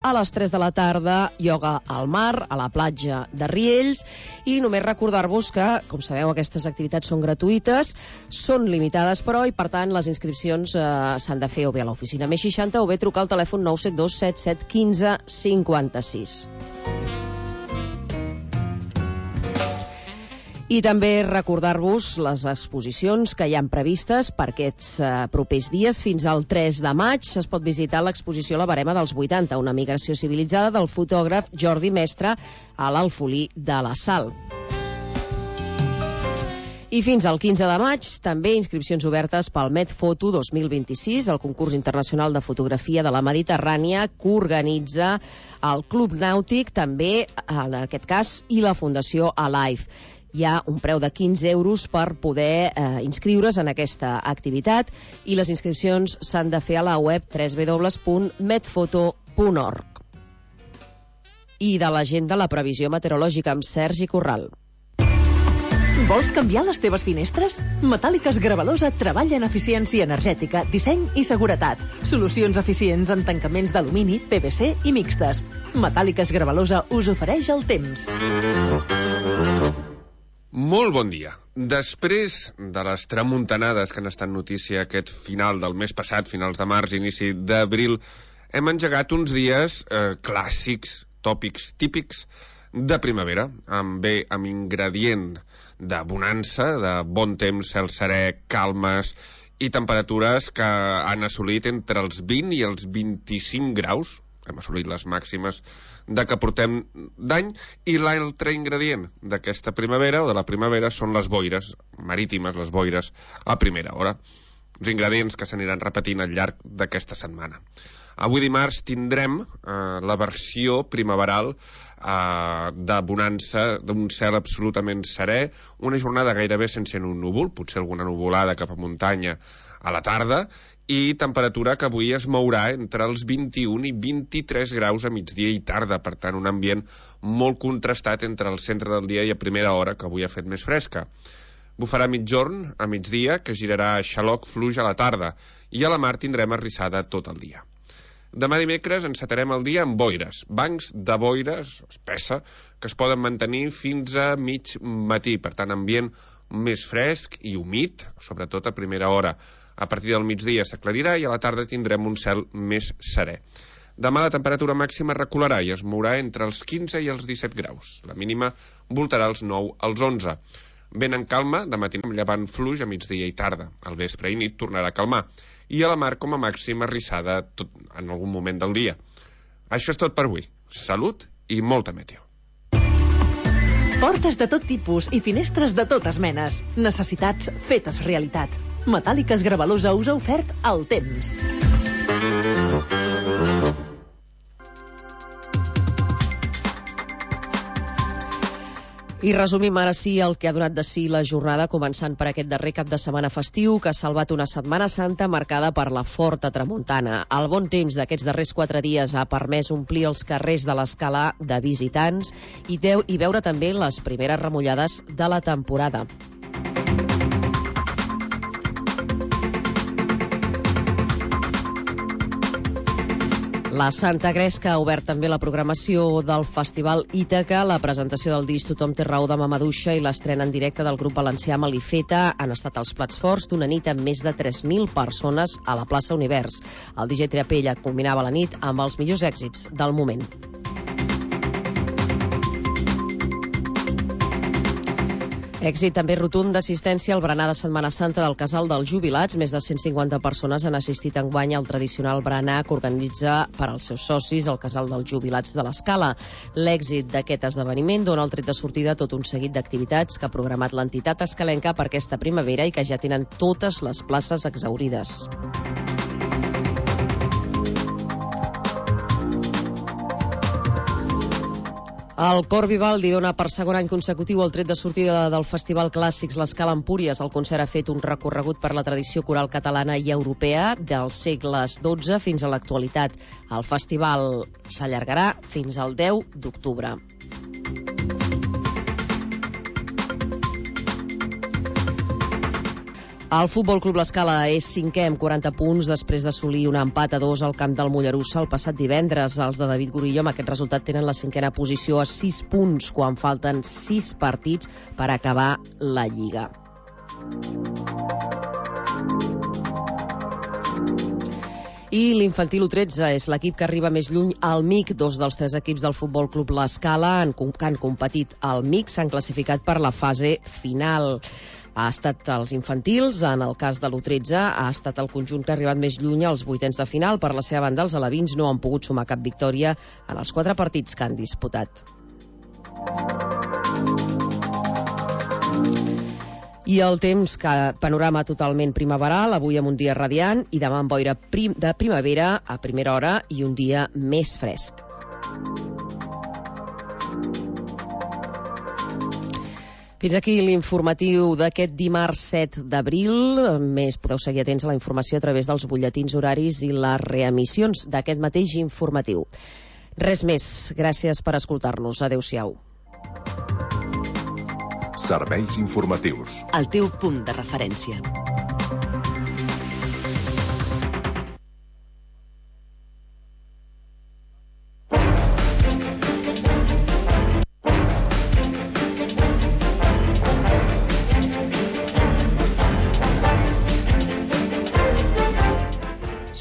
a les 3 de la tarda, ioga al mar, a la platja de Riells, i només recordar-vos que, com sabeu, aquestes activitats són gratuïtes, són limitades, però, i per tant les inscripcions s'han de fer o bé a l'oficina més 60 o bé trucar al telèfon 972 77 15 56. I també recordar-vos les exposicions que hi han previstes per aquests propers dies. Fins al 3 de maig es pot visitar l'exposició La Verema dels 80, una migració civilitzada del fotògraf Jordi Mestre a l'Alfolí de la Sal. I fins al 15 de maig, també inscripcions obertes pel Medfoto 2026, el concurs internacional de fotografia de la Mediterrània que organitza el Club Nàutic, també, en aquest cas, i la Fundació Alive. Hi ha un preu de 15 euros per poder inscriure's en aquesta activitat i les inscripcions s'han de fer a la web www.medfoto.org. I de l'agenda, la previsió meteorològica amb Sergi Corral. Vols canviar les teves finestres? Metàl·liques Gravalosa treballa en eficiència energètica, disseny i seguretat. Solucions eficients en tancaments d'alumini, PVC i mixtes. Metàl·liques Gravalosa us ofereix el temps. Molt bon dia. Després de les tramuntanades que han estat notícia aquest final del mes passat, finals de març, inici d'abril, hem engegat uns dies clàssics, tòpics, típics de primavera, amb ingredient de bonança, de bon temps, cel serè, calmes i temperatures que han assolit entre els 20 i els 25 graus. Hem assolit les màximes de que portem d'any, i l'altre ingredient d'aquesta primavera, o de la primavera, són les boires marítimes, les boires a primera hora. Uns ingredients que s'aniran repetint al llarg d'aquesta setmana. Avui dimarts tindrem la versió primaveral de bonança, d'un cel absolutament serè, una jornada gairebé sense un núvol, potser alguna nuvolada cap a muntanya a la tarda, i temperatura que avui es mourà entre els 21 i 23 graus a migdia i tarda, per tant un ambient molt contrastat entre el centre del dia i a primera hora, que avui ha fet més fresca. Bufarà migjorn a migdia, que girarà xaloc fluix a la tarda, i a la mar tindrem arrissada tot el dia. Demà dimecres encetarem el dia amb boires, bancs de boires espessa, que es poden mantenir fins a mig matí, per tant ambient més fresc i humit, sobretot a primera hora. A partir del migdia s'aclarirà i a la tarda tindrem un cel més serè. Demà la temperatura màxima recularà i es mourà entre els 15 i els 17 graus. La mínima voltarà els 9 als 11. Vent en calma, de matí amb llevant fluix a migdia i tarda. Al vespre i nit tornarà a calmar. I a la mar com a màxima arrissada en algun moment del dia. Això és tot per avui. Salut i molta meteo. Portes de tot tipus i finestres de totes menes. Necessitats fetes realitat. Metàl·liques Gravalosa us ha ofert el temps. I resumim ara sí el que ha donat de si la jornada, començant per aquest darrer cap de setmana festiu que ha salvat una Setmana Santa marcada per la forta tramuntana. El bon temps d'aquests darrers 4 dies ha permès omplir els carrers de l'Escala de visitants i veure també les primeres remullades de la temporada. La Santa Gresca ha obert també la programació del Festival Ítaca, la presentació del disc Tothom té raó de Mamaduixa i l'estrena en directe del grup valencià Malifeta han estat els plats forts d'una nit amb més de 3.000 persones a la plaça Univers. El DJ Triapella culminava la nit amb els millors èxits del moment. Èxit també rotund d'assistència al berenar de Setmana Santa del Casal dels Jubilats. Més de 150 persones han assistit enguany al tradicional berenar que organitza per als seus socis el Casal dels Jubilats de l'Escala. L'èxit d'aquest esdeveniment dona el tret de sortida a tot un seguit d'activitats que ha programat l'entitat escalenca per aquesta primavera i que ja tenen totes les places exhaurides. El Cor Vivaldi dona per segon any consecutiu el tret de sortida del Festival Clàssics l'Escala Empúries. El concert ha fet un recorregut per la tradició coral catalana i europea dels segles XII fins a l'actualitat. El festival s'allargarà fins al 10 d'octubre. El Futbol Club L'Escala és 5è amb 40 punts després d'assolir un empat a 2 al camp del Mollerussa el passat divendres. Els de David Gorillo amb aquest resultat tenen la 5a posició a 6 punts quan falten 6 partits per acabar la Lliga. I l'infantil U13 és l'equip que arriba més lluny al MIC. 2 dels 3 equips del Futbol Club L'Escala que han competit al MIC s'han classificat per la fase final. Ha estat els infantils, en el cas de l'U13 ha estat el conjunt que ha arribat més lluny als vuitens de final. Per la seva banda, els alevins no han pogut sumar cap victòria en els 4 partits que han disputat. I el temps, panorama totalment primaveral, avui amb un dia radiant i demà amb boira de primavera a primera hora i un dia més fresc. Fins aquí l'informatiu d'aquest dimarts 7 d'abril. Més podeu seguir atents a la informació a través dels butlletins horaris i les reemissions d'aquest mateix informatiu. Res més. Gràcies per escoltar-nos. Adéu-siau. Serveis informatius. El teu punt de referència.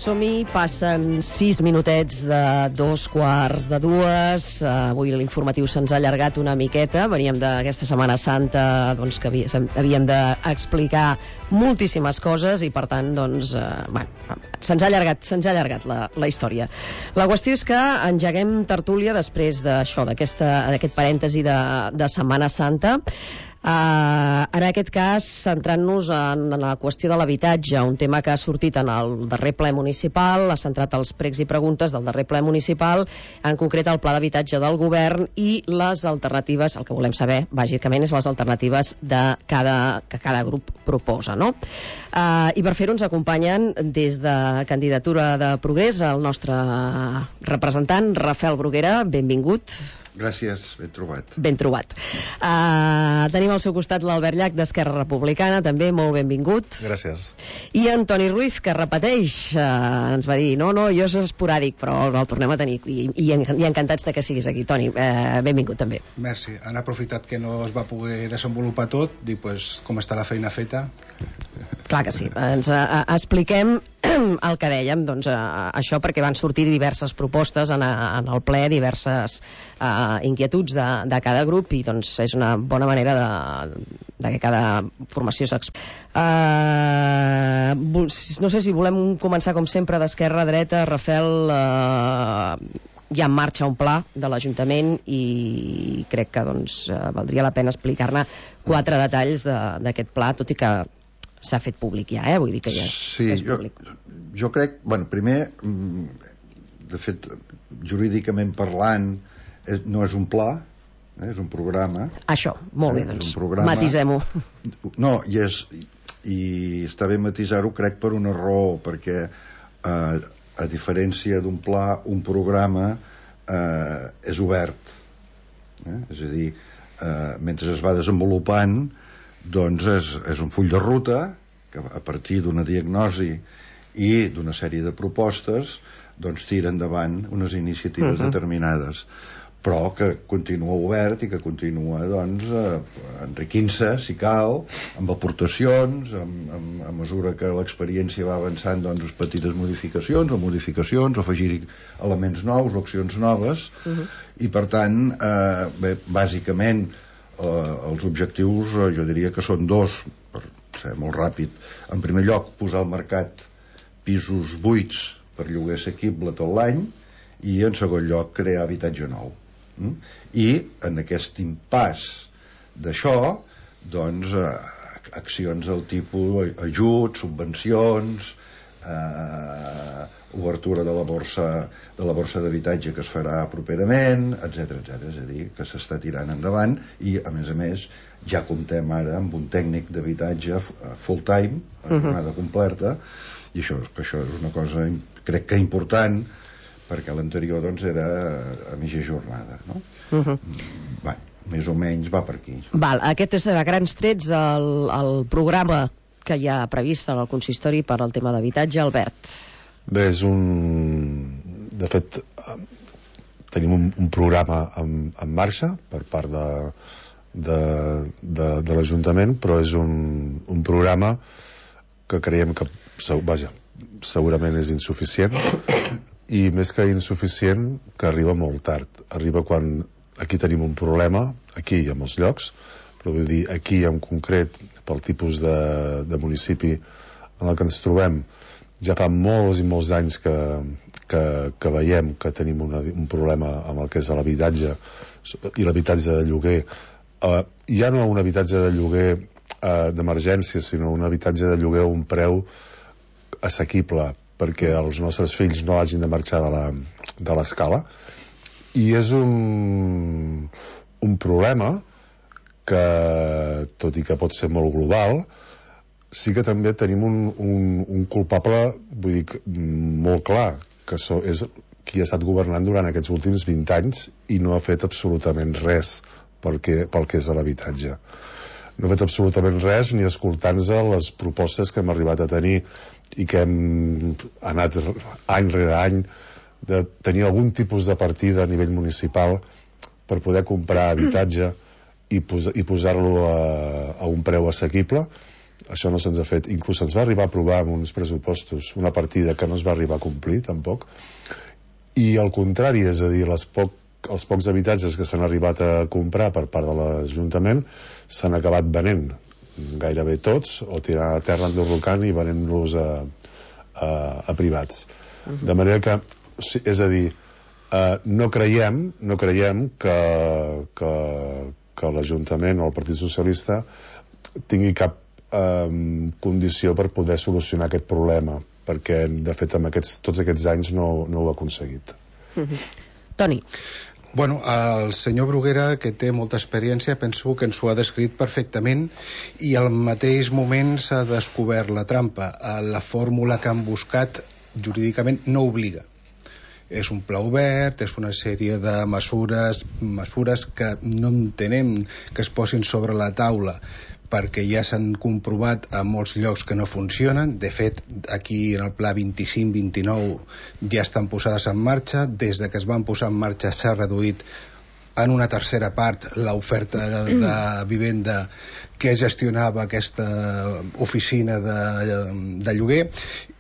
Som-hi, passen 6 minutets de 2:15. Avui l'informatiu se'ns ha allargat una miqueta. Veníem d'aquesta Setmana Santa que havíem d'explicar moltíssimes coses i, per tant, se'ns ha allargat la història. La qüestió és que engeguem tertúlia després d'això, d'aquest parèntesi de Setmana Santa. En aquest cas, centrant-nos en la qüestió de l'habitatge, un tema que ha sortit en el darrer ple municipal, ha centrat els pregs i preguntes del darrer ple municipal, en concret el pla d'habitatge del govern i les alternatives, el que volem saber, bàsicament, és les alternatives que cada grup proposa, no? I per fer-ho ens acompanyen des de Candidatura de Progrés el nostre representant, Rafael Bruguera. Benvingut. Gràcies, ben trobat. Ben trobat. Tenim al seu costat l'Albert Llach, d'Esquerra Republicana, també, molt benvingut. Gràcies. I Antoni Ruiz, que repeteix, ens va dir, no, jo és esporàdic, però el tornem a tenir, i encantats de que siguis aquí. Toni, benvingut també. Merci. Han aprofitat que no es va poder desenvolupar tot, dic, com està la feina feta? Clar que sí. Ens expliquem el que dèiem, això perquè van sortir diverses propostes en el ple, diverses inquietuds de cada grup, i és una bona manera de que cada formació s'expliqui. No sé si volem començar com sempre d'esquerra a dreta. Rafael, hi ha en marxa un pla de l'Ajuntament i crec que valdria la pena explicar-ne 4 detalls d'aquest pla, tot i que s'ha fet públic ja, vull dir que ja és públic. Jo crec, primer, de fet, jurídicament parlant, no és un pla, és un programa. Això, molt bé, matisem-ho. No, i està bé matisar-ho, crec, per una raó, perquè a diferència d'un pla, un programa és obert. És a dir, mentre es va desenvolupant, és un full de ruta que a partir d'una diagnosi i d'una sèrie de propostes tira endavant unes iniciatives determinades, però que continua obert i que continua enriquint-se, si cal, amb aportacions, a mesura que l'experiència va avançant, petites modificacions o afegir elements nous o accions noves, i per tant, bàsicament els objectius jo diria que són 2, per ser molt ràpid. En primer lloc, posar al mercat pisos buits per lloguer assequible tot l'any, i en segon lloc crear habitatge nou. I en aquest impàs d'això, accions del tipus ajuts, subvencions, obertura de la borsa d'habitatge que es farà properament, etc. És a dir, que s'està tirant endavant, i a més ja comptem ara amb un tècnic d'habitatge full time, a jornada completa, i això és una cosa crec que important, perquè l'anterior era a mitja jornada, no? Més o menys va per aquí. Aquest és a grans trets el programa que hi ha previst en el consistori per al tema d'habitatge. Albert. Bé, de fet, tenim un programa en marxa per part de l'Ajuntament, però és un programa que creiem que segurament és insuficient, i més que insuficient, que arriba molt tard. Arriba quan aquí tenim un problema, aquí i a molts llocs, però vull dir, aquí en concret, pel tipus de municipi en el que ens trobem, ja fa molts i molts anys que veiem que tenim un problema amb el que és l'habitatge i l'habitatge de lloguer. Ja no un habitatge de lloguer d'emergència, sinó un habitatge de lloguer a un preu assequible perquè els nostres fills no hagin de marxar de l'escala. I és un problema que, tot i que pot ser molt global, sí que també tenim un culpable, vull dir, molt clar, que és qui ha estat governant durant aquests últims 20 anys i no ha fet absolutament res pel que és l'habitatge. No ha fet absolutament res ni escoltant-nos les propostes que hem arribat a tenir i que hem anat any rere any de tenir algun tipus de partida a nivell municipal per poder comprar habitatge i posar-lo a un preu assequible. Això no se'ns ha fet. Inclús se'ns va arribar a aprovar amb uns pressupostos una partida que no es va arribar a complir tampoc, i al contrari, és a dir, els pocs habitatges que s'han arribat a comprar per part de l'Ajuntament s'han acabat venent gairebé tots, o tirant a terra enderrocant i venent-los a privats. De manera que, és a dir, no creiem que l'Ajuntament o el Partit Socialista tingui cap condició per poder solucionar aquest problema, perquè de fet amb tots aquests anys no ho ha aconseguit. Toni. Bueno, el senyor Bruguera, que té molta experiència, penso que ens ho ha descrit perfectament, i al mateix moment s'ha descobert la trampa. La fórmula que han buscat jurídicament no obliga. És un pla obert, és una sèrie de mesures que no entenem que es posin sobre la taula perquè ja s'han comprovat a molts llocs que no funcionen. De fet, aquí en el pla 25-29 ja estan posades en marxa. Des de que es van posar en marxa s'ha reduït en una tercera part l'oferta de vivenda que gestionava aquesta oficina de lloguer,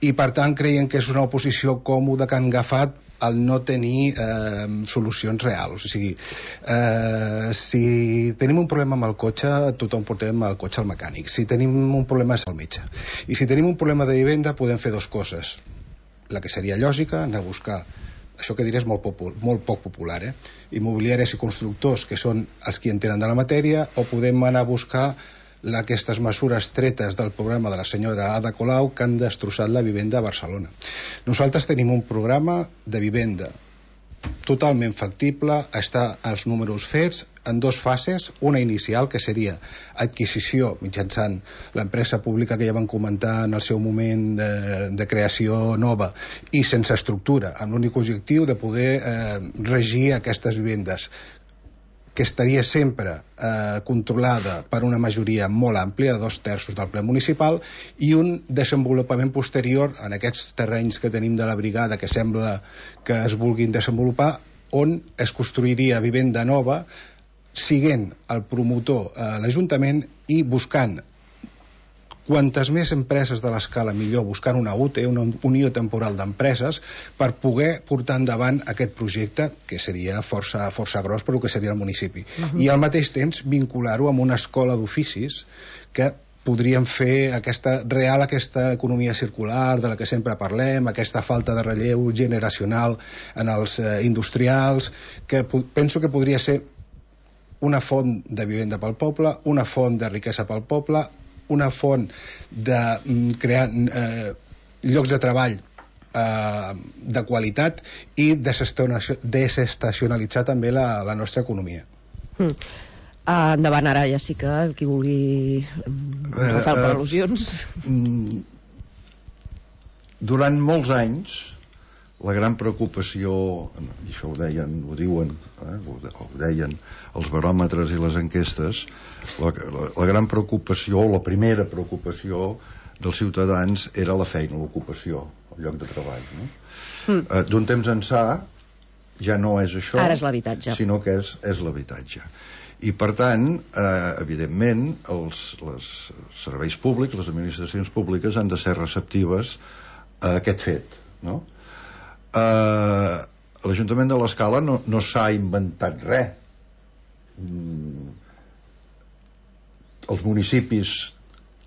i per tant creiem que és una oposició còmoda que han agafat al no tenir solucions reals. O sigui, si tenim un problema amb el cotxe, tothom portem el cotxe al mecànic. Si tenim un problema és al metge. I si tenim un problema de vivenda podem fer dues coses. La que seria lògica, anar a buscar, això que diré és molt poc popular, immobiliaris i constructors, que són els qui entenen de la matèria, o podem anar a buscar aquestes mesures tretes del programa de la senyora Ada Colau que han destrossat la vivenda a Barcelona. Nosaltres tenim un programa de vivenda totalment factible, està els números fets en dues fases, una inicial que seria adquisició mitjançant l'empresa pública que ja van comentar en el seu moment de creació nova i sense estructura, amb l'únic objectiu de poder regir aquestes vivendes, que estaria sempre controlada per una majoria molt àmplia de 2/3 del ple municipal, i un desenvolupament posterior en aquests terrenys que tenim de la brigada que sembla que es vulguin desenvolupar, on es construiria vivenda nova, siguent el promotor l'Ajuntament i buscant quantes més empreses de l'escala millor, buscant una UTE, una unió temporal d'empreses, per poder portar endavant aquest projecte, que seria força gros per el que seria el municipi. I al mateix temps vincular-ho amb una escola d'oficis que podríem fer aquesta economia circular de la que sempre parlem, aquesta falta de relleu generacional en els industrials, que penso que podria ser una font de vivenda pel poble, una font de riquesa pel poble, una font de crear llocs de treball de qualitat i desestacionalitzar també la nostra economia. Endavant, ara ja sí que qui vulgui agafar per al·lusions. Durant molts anys la gran preocupació, i això ho diuen els baròmetres i les enquestes, la gran preocupació, la primera preocupació dels ciutadans era la feina, l'ocupació, el lloc de treball, no? D'un temps ençà ja no és això, ara és l'habitatge, sinó que és l'habitatge. I per tant, evidentment, els serveis públics, les administracions públiques han de ser receptives a aquest fet, no? L'Ajuntament de l'Escala no s'ha inventat res. Els municipis,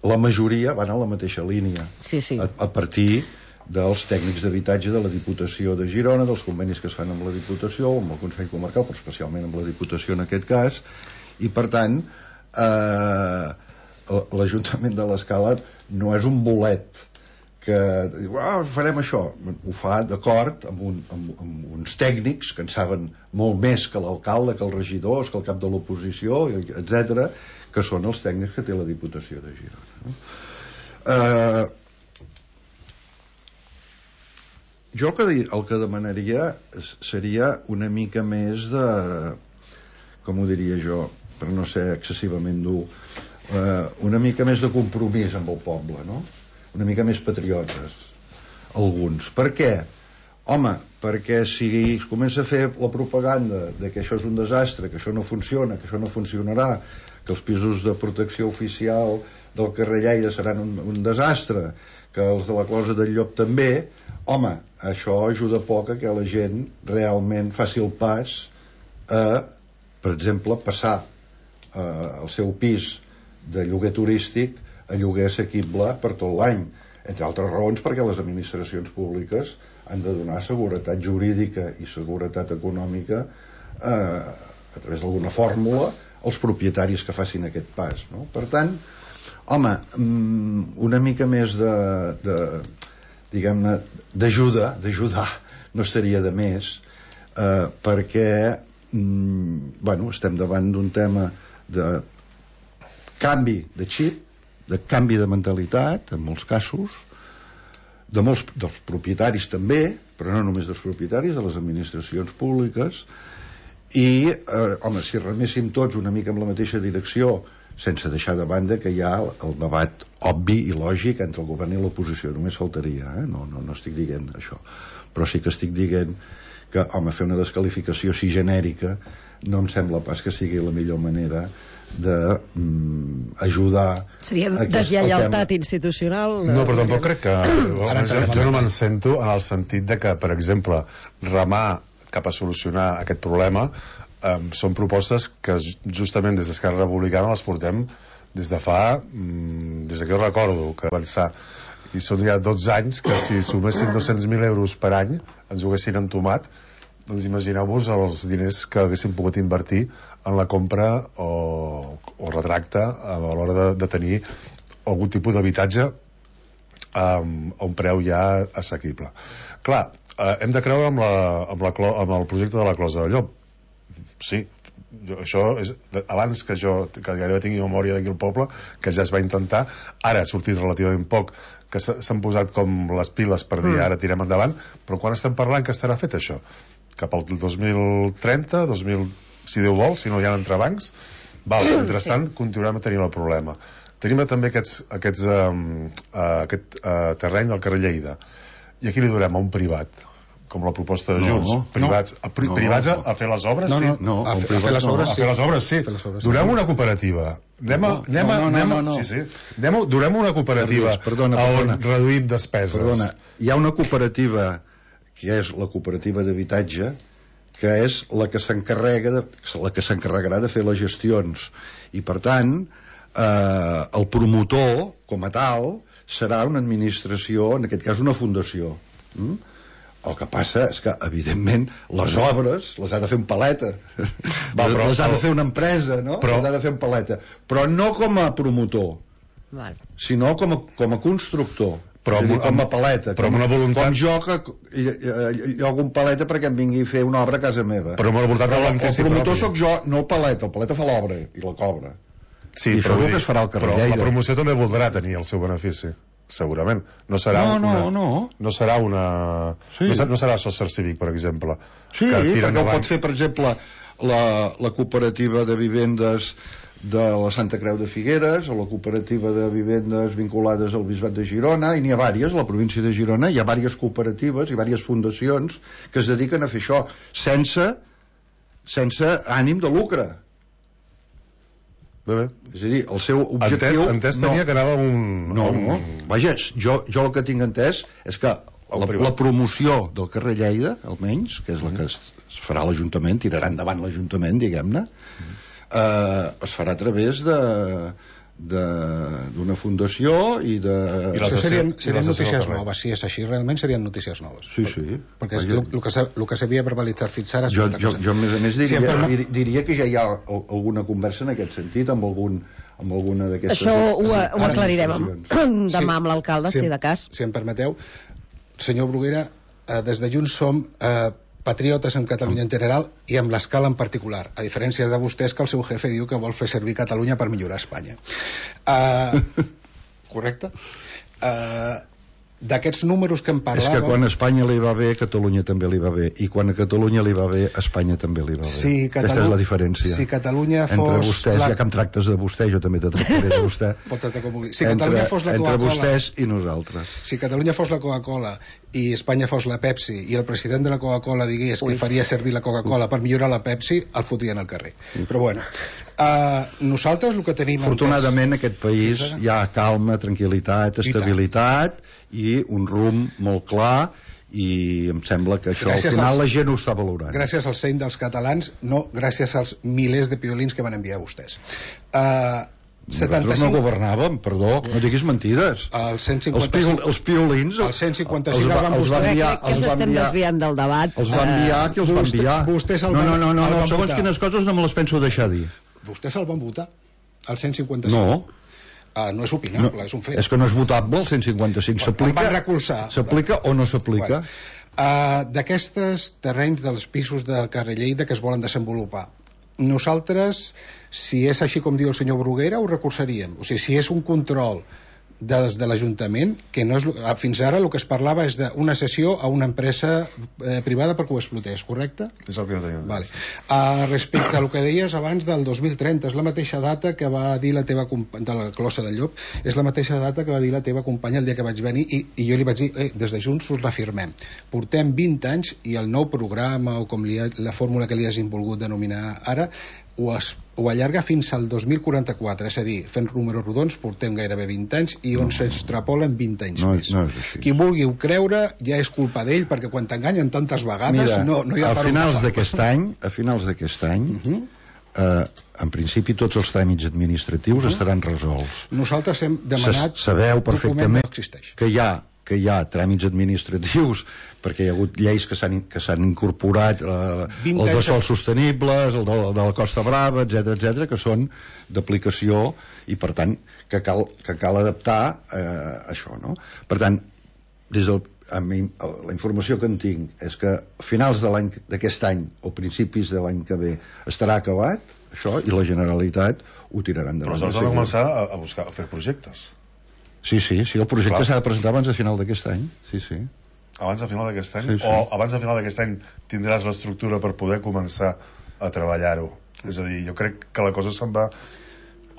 la majoria, van a la mateixa línia, a partir dels tècnics d'habitatge de la Diputació de Girona, dels convenis que es fan amb la Diputació, amb el Consell Comarcal, però especialment amb la Diputació en aquest cas, i per tant l'Ajuntament de l'Escala no és un bolet que diu, farem això. Ho fa d'acord amb uns tècnics que en saben molt més que l'alcalde, que els regidors, que el cap de l'oposició, etc., que són els tècnics que té la Diputació de Girona, no? Jo el que demanaria seria una mica més de, com ho diria jo, per no ser excessivament dur, una mica més de compromís amb el poble, no? Una mica més patriotes, alguns. Per què? Home, perquè si es comença a fer la propaganda de que això és un desastre, que això no funciona, que això no funcionarà, que els pisos de protecció oficial del carrer Lleida seran un desastre, que els de la Closa del Llop també, home, això ajuda poc a que la gent realment faci el pas a, per exemple, passar el seu pis de lloguer turístic a lloguer assequible per tot l'any, entre altres raons perquè les administracions públiques han de donar seguretat jurídica i seguretat econòmica a través d'alguna fórmula als propietaris que facin aquest pas, no? Per tant, home, una mica més diguem-ne, d'ajudar no estaria de més, perquè estem davant d'un tema de canvi de xip, de canvi de mentalitat, en molts casos, dels propietaris també, però no només dels propietaris, de les administracions públiques, i, home, si reméssim tots una mica en la mateixa direcció, sense deixar de banda que hi ha el debat obvi i lògic entre el govern i l'oposició, només faltaria, no estic dient això, però sí que estic dient que, home, fer una desqualificació així genèrica no em sembla pas que sigui la millor manera d'ajudar. Seria deslleialtat institucional? No, però tampoc crec que... Jo no me'n sento en el sentit de que, per exemple, remar cap a solucionar aquest problema són propostes que justament des d'Esquerra Republicana les portem des de que jo recordo que avançar, i són ja 12 anys que si suméssim 200.000 euros per any ens ho haguessin entomat, doncs imagineu-vos els diners que haguéssim pogut invertir en la compra o retracte a l'hora de tenir algun tipus d'habitatge a un preu ja assequible. Clar, hem de creure amb el projecte de la Closa del Llop. Sí, això és abans que gairebé tingui memòria d'aquí al poble, que ja es va intentar, ara ha sortit relativament poc, que s'han posat com les piles per dir ara tirem endavant, però quan estem parlant que estarà fet això? Cap al 2030, si Déu vol, si no hi ha entrebancs, mentrestant continuarem a tenir el problema. Tenim també aquest terreny del carrer Lleida, i aquí li donem a un privat, com la proposta de Junts, privats a fer les obres, sí? A fer les obres, sí. Donem una cooperativa. Donem una cooperativa on reduïm despeses. Perdona, hi ha una cooperativa que és la cooperativa d'habitatge, que és la que s'encarregarà de fer les gestions, i per tant el promotor com a tal serà una administració, en aquest cas una fundació. El que passa és que, evidentment, les obres les ha de fer un paleta. Les ha de fer una empresa, no? Les ha de fer un paleta. Però no com a promotor, sinó com a constructor. Però com a paleta. Però amb una voluntat... Com jo, que jo hago un paleta perquè em vingui a fer una obra a casa meva. Però amb una voluntat de benefici propi. El promotor sóc jo, no el paleta fa l'obra i la cobra. Sí, i segur que es farà el carrer Lleida. Però la promoció també voldrà tenir el seu benefici. segurament. No serà no serà una... Sí. No serà Social Cívic, per exemple. Sí, perquè ho pot fer, per exemple, la cooperativa de vivendes de la Santa Creu de Figueres o la cooperativa de vivendes vinculades al Bisbat de Girona, i n'hi ha diverses a la província de Girona. Hi ha diverses cooperatives i diverses fundacions que es dediquen a fer això sense ànim de lucre. Bé. És a dir, el seu objectiu... Entès tenia que anava un... No. Vaja, jo el que tinc entès és que la promoció del carrer Lleida, almenys, que és la que es farà l'Ajuntament, tirarà endavant l'Ajuntament, diguem-ne, es farà a través d'una fundació i de... Serien notícies noves. Si és així, realment serien notícies noves. Sí. Perquè el que s'havia verbalitzat fins ara... Jo, a més diria que ja hi ha alguna conversa en aquest sentit amb alguna d'aquestes... Això ho aclarirem demà amb l'alcalde, si de cas. Si em permeteu, senyor Bruguera, des de Junts som patriotes en Catalunya en general i amb l'escala en particular, a diferència de vostès, que el seu jefe diu que vol fer servir Catalunya per millorar Espanya. Correcte? D'aquests números que em parlàvem... És que quan a Espanya li va bé, a Catalunya també li va bé, i quan a Catalunya li va bé, a Espanya també li va bé. Aquesta és la diferència. Si Catalunya fos... Entre vostès, ja que em tractes de vostè, jo també te tractaré de vostè. Pot tractar com vulgui. Si Catalunya fos la Coca-Cola... Entre vostès i nosaltres. Si Catalunya fos la Coca-Cola i Espanya fos la Pepsi, i el president de la Coca-Cola digués que faria servir la Coca-Cola per millorar la Pepsi, el fotrien al carrer. Però bueno, nosaltres el que tenim... Afortunadament, en aquest país hi ha calma, tranquil·litat, estabilitat i un rumb molt clar, i em sembla que això al final la gent ho està valorant. Gràcies al seny dels catalans, no gràcies als milers de piolins que van enviar vostès. Nosaltres no governàvem, perdó, no diguis mentides. Els piolins el 155 el van enviar. Que ens estem desviant del debat. Els va enviar qui els va enviar. No, segons quines coses no me les penso deixar dir. Vostès el van votar, el 155. No. No és opinable, és un fet. És que no és votable el 155. S'aplica? Van recolzar. S'aplica o no s'aplica? D'aquests terrenys dels pisos del carrer Lleida que es volen desenvolupar, nosaltres, si és així com diu el senyor Bruguera, ho recolzaríem. O sigui, si és un control des de l'Ajuntament, que no és, fins ara el que es parlava és d'una cessió a una empresa privada perquè ho explotés, correcte? És el que jo tenia. Vale. Respecte al que deies abans del 2030, és la mateixa data que va dir la teva companya de la Closa del Llop, és la mateixa data que va dir la teva companya el dia que vaig venir, i jo li vaig dir, des de Junts us reafirmem, portem 20 anys i el nou programa o com la fórmula que li hagin volgut denominar ara ho allarga fins al 2044, és a dir, fent números rodons portem gairebé 20 anys i on s'extrapolen 20 anys més. No és així. Qui vulgui ho creure ja és culpa d'ell, perquè quan t'enganyen tantes vegades no hi ha a finals d'aquest any en principi tots els tràmits administratius estaran resolts. Nosaltres hem demanat sabeu perfectament no existeix. que hi ha tràmits administratius perquè hi ha hagut lleis que s'han incorporat el de sòls sostenibles, el de la Costa Brava, etc, que són d'aplicació i per tant que cal adaptar això, no? Per tant, la informació que en tinc és que a finals d'aquest any o principis de l'any que ve estarà acabat això i la Generalitat ho tirarà endavant. Però s'ha de començar a fer projectes. Sí, el projecte s'ha de presentar abans de final d'aquest any. Sí. Abans de final d'aquest any? Sí. O abans de final d'aquest any tindràs l'estructura per poder començar a treballar-ho? És a dir, jo crec que la cosa se'n va...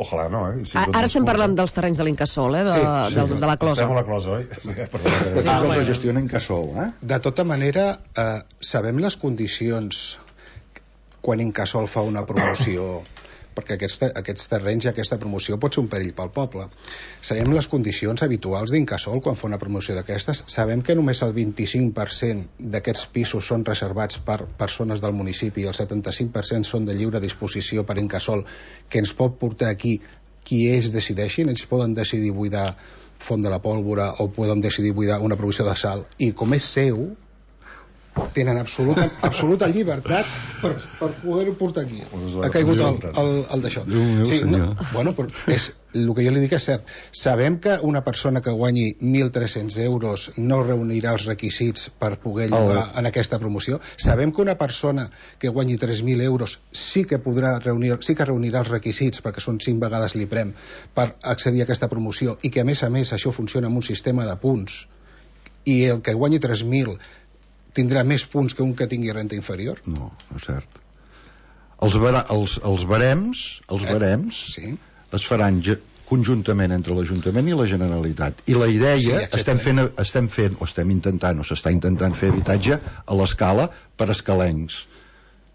Ojalà no, Ara estem parlant dels terrenys de l'Incasòl, de la Closa. Estem a la Closa, oi? La gestiona Incasòl, De tota manera, sabem les condicions quan Incasòl fa una promoció, perquè aquests terrenys i aquesta promoció pot ser un perill pel poble. Sabem les condicions habituals d'Incasòl quan fa una promoció d'aquestes. Sabem que només el 25% d'aquests pisos són reservats per persones del municipi i el 75% són de lliure disposició per Incasòl, que ens pot portar aquí qui ells decideixin. Ells poden decidir buidar Font de la Pólvora o poden decidir buidar una provisió de sal, i com és seu tenen absoluta llibertat per poder-ho portar aquí. Ha caigut el d'això. Sí, no, bueno, però el que jo li dic és cert. Sabem que una persona que guanyi 1.300 euros no reunirà els requisits per poder llogar en aquesta promoció. Sabem que una persona que guanyi 3.000 euros sí que reunirà els requisits, perquè són 5 vegades l'IPREM, per accedir a aquesta promoció, i que a més això funciona amb un sistema de punts, i el que guanyi 3.000 tindrà més punts que un que tingui renta inferior? No és cert. Els barems sí, es faran conjuntament entre l'Ajuntament i la Generalitat, i la idea estem intentant o s'està intentant fer habitatge a l'escala per escalencs,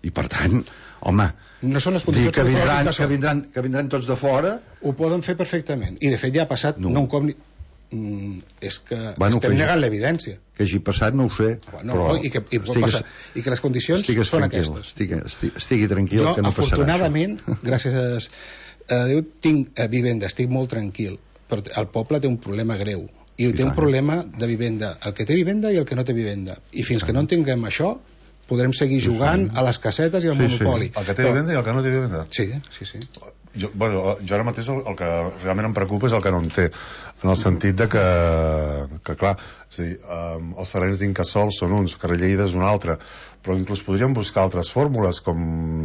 i per tant, home, no són les condicions que vindran tots de fora. Ho poden fer perfectament, i de fet ja ha passat no un cop és que bueno, estem negant l'evidència. Que hagi passat no ho sé, però i que les condicions són aquestes. Estigui tranquil, que no passarà. Afortunadament, gràcies a Déu, tinc vivenda, estic molt tranquil, però el poble té un problema greu, i té un problema de vivenda, el que té vivenda i el que no té vivenda, i fins que no entenguem això podrem seguir jugant a les casetes i al monopoli. El que té vivenda i el que no té vivenda. Sí. Jo ara mateix el que realment em preocupa és el que no en té, en el sentit de que clar, és a dir, els terrenys d'Incasòl són uns, Carrer Lleida és un altre, però inclús podríem buscar altres fórmules, com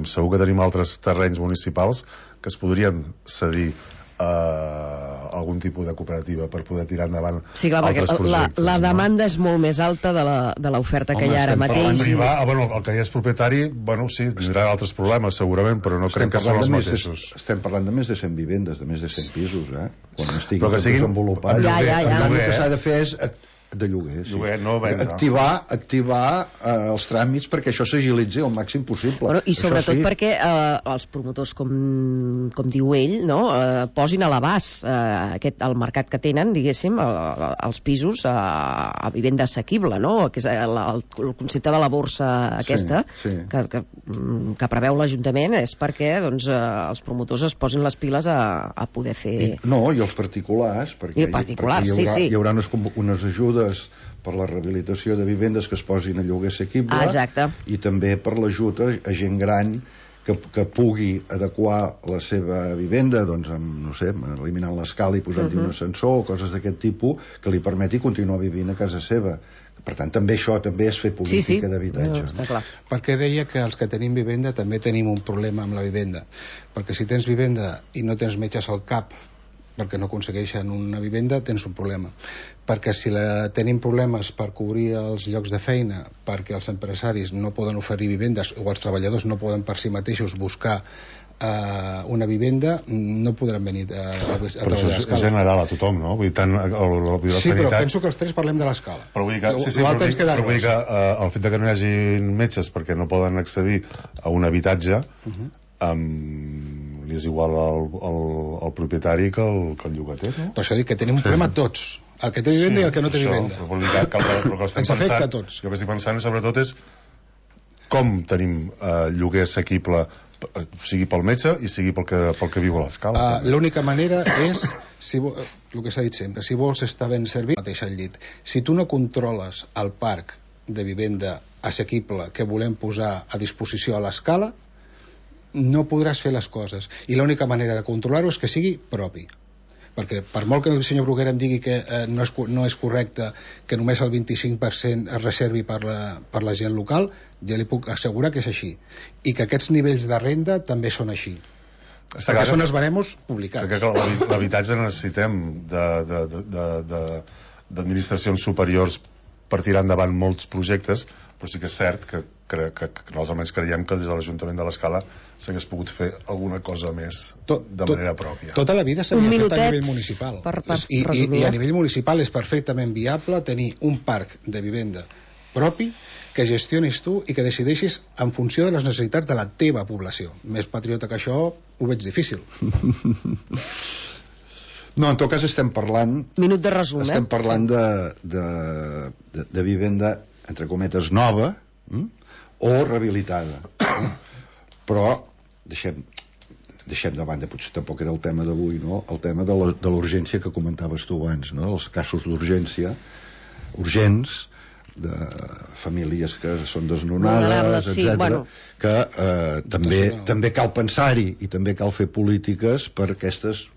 segur que tenim altres terrenys municipals que es podrien cedir a algun tipus de cooperativa per poder tirar endavant altres projectes. La demanda és molt més alta de l'oferta que hi ha ara mateix. El que ja és propietari, sí, tindrà altres problemes segurament, però no crec que són els mateixos. Estem parlant de més de 100 vivendes, de més de 100 pisos, quan estigui desenvolupat. El que s'ha de fer és de lloguer, sí. Activar els tràmits perquè això s'agilitzi al màxim possible. I sobretot perquè els promotors, com diu ell, posin a l'abast el mercat que tenen, diguéssim, els pisos a vivenda assequible, que és el concepte de la borsa aquesta que preveu l'Ajuntament, és perquè els promotors es posin les piles a poder fer... I els particulars, perquè hi haurà unes ajudes per la rehabilitació de vivendes que es posin a lloguer assequible, i també per l'ajut a gent gran que pugui adequar la seva vivenda, eliminant l'escala i posant-hi un ascensor o coses d'aquest tipus que li permeti continuar vivint a casa seva. Per tant, això també és fer política d'habitatge. Perquè deia que els que tenim vivenda també tenim un problema amb la vivenda, perquè si tens vivenda i no tens metges al cap perquè no aconsegueixen una vivenda, tens un problema. Perquè si tenim problemes per cobrir els llocs de feina, perquè els empresaris no poden oferir vivendes o els treballadors no poden per si mateixos buscar una vivenda, no podran venir a però això és general a tothom, no? Vull dir, tant sí, però penso que els tres parlem de l'escala. Però vull dir que el fet que no hi hagi metges perquè no poden accedir a un habitatge li és igual al propietari que el llogater, no? Per això dic que tenim un problema tots, el que té vivenda i el que no té vivenda. Però que estem pensant, jo que estic pensant sobretot és com tenim lloguer assequible, sigui pel metge i sigui pel que viu a l'escala. L'única manera és, el que s'ha dit sempre, si vols estar ben servit, mateix al llit. Si tu no controles el parc de vivenda assequible que volem posar a disposició a l'escala, no podràs fer les coses, i l'única manera de controlar-ho és que sigui propi, perquè per molt que el senyor Bruguera em digui que no és correcte que només el 25% es reservi per la gent local, ja li puc assegurar que és així, i que aquests nivells de renda també són així, perquè són els baremos publicats. L'habitatge necessitem d'administracions superiors per tirar endavant molts projectes, però sí que és cert que nosaltres almenys creiem que des de l'Ajuntament de l'Escala s'hagués pogut fer alguna cosa més de manera pròpia. Tota la vida s'havia fet a nivell municipal, i a nivell municipal és perfectament viable tenir un parc de vivenda propi que gestionis tu i que decideixis en funció de les necessitats de la teva població. Més patriota que això ho veig difícil. No, en tot cas estem parlant... Minut de resum, estem parlant de vivenda, entre cometes, nova o rehabilitada. Però deixem de banda, potser tampoc era el tema d'avui, no? El tema de l'urgència que comentaves tu abans, no? Els casos d'urgència urgents de famílies que són desnonades, sí, etc. bueno. Que també cal pensar-hi i també cal fer polítiques per aquestes,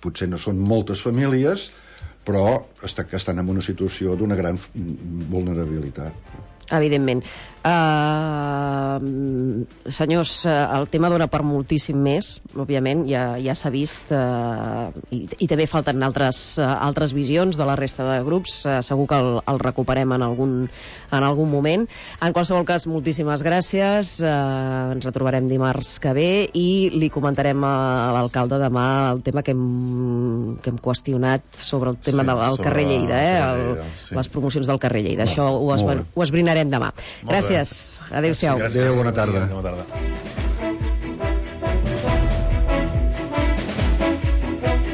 potser no són moltes famílies, però que estan en una situació d'una gran vulnerabilitat. Evidentment. Senyors, el tema dona per moltíssim més, òbviament, ja s'ha vist, i també falten altres visions de la resta de grups, segur que el recuperem en algun moment. En qualsevol cas, moltíssimes gràcies, ens retrobarem dimarts que ve i li comentarem a l'alcalde demà el tema que hem qüestionat sobre el tema del carrer Lleida, les promocions del carrer Lleida. Això ho esbrinarem demà. Gràcies. Adéu-siau. Adéu, bona tarda.